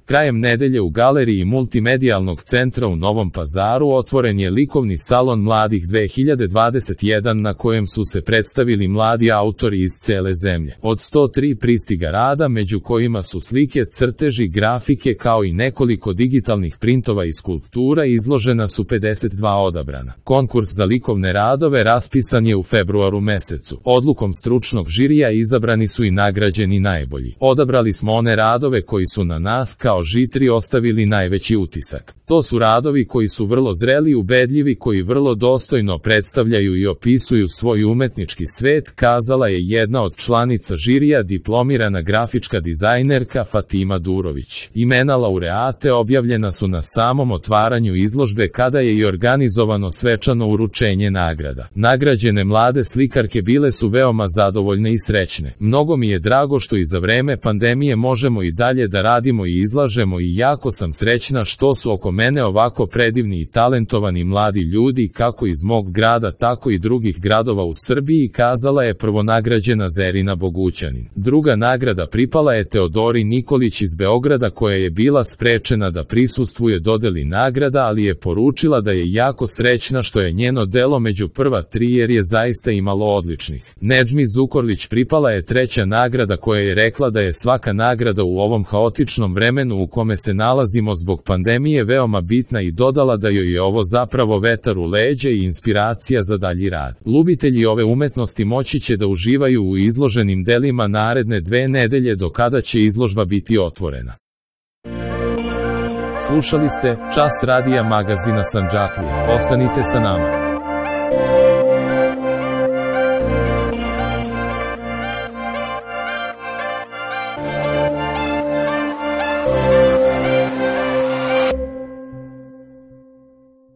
Krajem nedelje u galeriji Multimedijalnog centra u Novom Pazaru otvoren je likovni salon mladih 2021 na kojem su se predstavili mladi autori iz cele zemlje. Od 103 pristiga rada, među kojima su slike, crteži, grafike kao i nekoliko digitalnih printova i skulptura, izložena su 52 odabrana. Konkurs za likovne radove raspisan je u februaru mesecu. Odlukom stručnog žirija izabrani su i nagrađeni najbolji. Odabrali smo one radove koji su na nas kao žitri ostavili najveći utisak. To su radovi koji su vrlo zreli, ubedljivi, koji vrlo dostojno predstavljaju i opisuju svoj umetnički svet, kazala je jedna od članica žirija, diplomirana grafička dizajnerka Fatima Durović. Imena laureate objavljena su na samom otvaranju izložbe kada je i organizovano svečano uručenje nagrada. Nagrađene mlade slikarke bile su veoma zadovoljne i srećne. Mnogo mi je drago što i za vreme pandemije možemo i dalje da radimo i izlažemo i jako sam srećna što su oko mene ovako predivni i talentovani mladi ljudi kako iz mog grada tako i drugih gradova u Srbiji, kazala je prvonagrađena Zerina Bogućanin. Druga nagrada pripala je Teodori Nikolić iz Beograda koja je bila sprečena da prisustvuje dodeli nagrada, ali je poručila da je jako srećna što je njeno delo među prva 3 jer je zaista imalo odličnih. Nedžmi Zukorlić pripala je treća nagrada koja je rekla da je svaka nagrada u ovom haotičnom vremenu u kome se nalazimo zbog pandemije veoma bitna i dodala da joj je ovo zapravo vetar u leđa i inspiracija za dalji rad. Ljubitelji ove umetnosti moći će da uživaju u izloženim delima naredne 2 nedelje do kada će izložba biti otvorena. Slušali ste Čas radija magazina Sandžaklija. Ostanite sa nama.